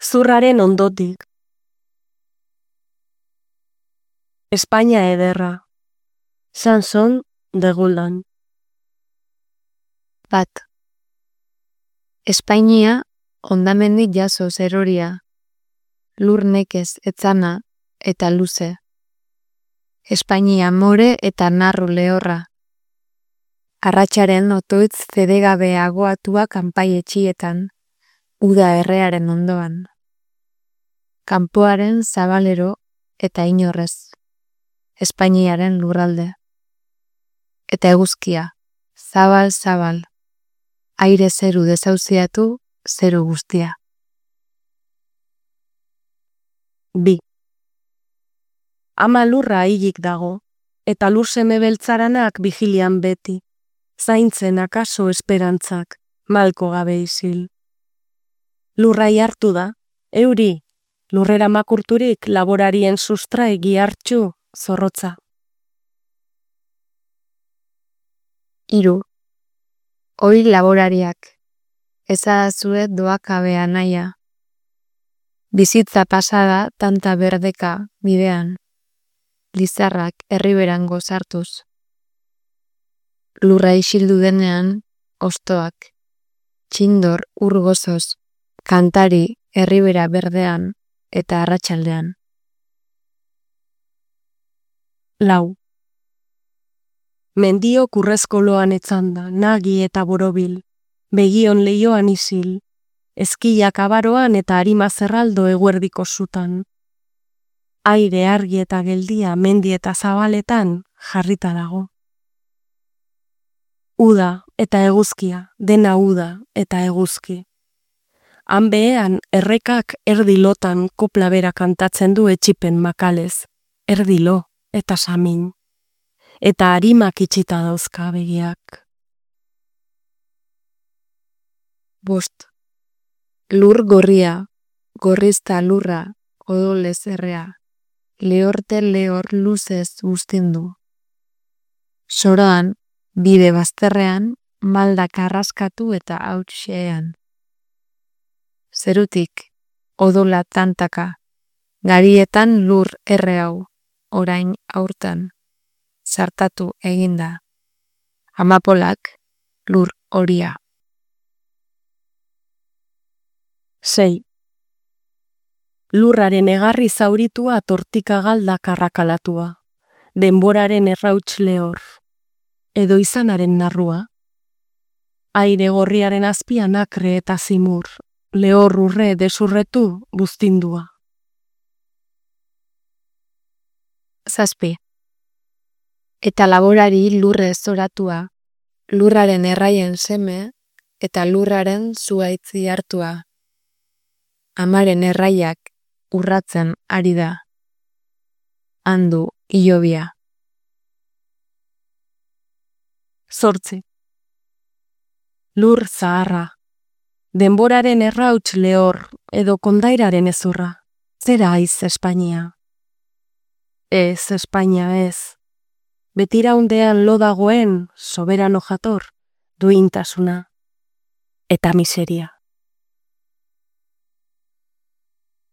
Zurraren ondotik. Espainia ederra. Sanson de Guldan. Bat. Espainia hondamendik jaso zeroria, lur nekez etzana eta luze. Espainia more eta narru lehorra. Arratsaren otoitz zedegabe agoatua kanpai etxietan, uda errearen ondoan. Kanpoaren zabalero eta inorrez. Espainiaren lurralde. Eta eguzkia, zabal, aire zeru dezauziatu, zeru guztia. Bi. Ama lurra hilik dago, eta lur seme beltzaranak vigilian beti, zaintzen akaso esperantzak, malko gabe isil. Lurrai hartu da, euri, lurrera makurturik laborarien sustrai gihartxu zorrotza. 3. Hoi laborariak, ezadazue doakabea naia. Bizitza pasada tanta berdeka bidean, lizarrak herriberango sartuz. Lurra isildu denean, ostoak, txindor urgozoz, kantari herribera berdean eta arratsaldean. 4. Mendio kurrezkoloan etzanda, nagi eta borobil, begion leioan isil, ezkilak abaroan eta arima zerraldo eguerdiko zutan. Aire argi eta geldia mendi eta zabaletan jarrita dago. Uda eta eguzkia, dena uda eta eguzki. Han behean errekak erdilotan kopla bera kantatzen du etxipen makalez, erdilo eta samin. Eta harimak itxita dauzka begiak. 5. Lur gorria, gorrizta lurra, odolez errea, lehorte lehor luzez guztindu. Soroan, bide bazterrean, maldak arraskatu eta hautxean. Zerutik, odola tantaka, garietan lur erre hau, orain aurtan. Sartatu eginda. Amapolak, lur horia. 6. Lurraren egarri zauritua tortika galdak arrakalatua, denboraren errauts lehor, edo izanaren narrua. Aire gorriaren azpian akre eta zimur, lehor urre desurretu buztindua. 7. Eta laborari lurre zoratua, lurraren erraien seme eta lurraren zuaitzi hartua. Amaren erraiak urratzen ari da. Handu hilobia. 8. Lur zaharra, denboraren errauts lehor edo kondairaren ezurra. Zera aiz Espainia. Ez Espainia ez. Betiraundean lo dagoen soberano jator, duintasuna eta miseria.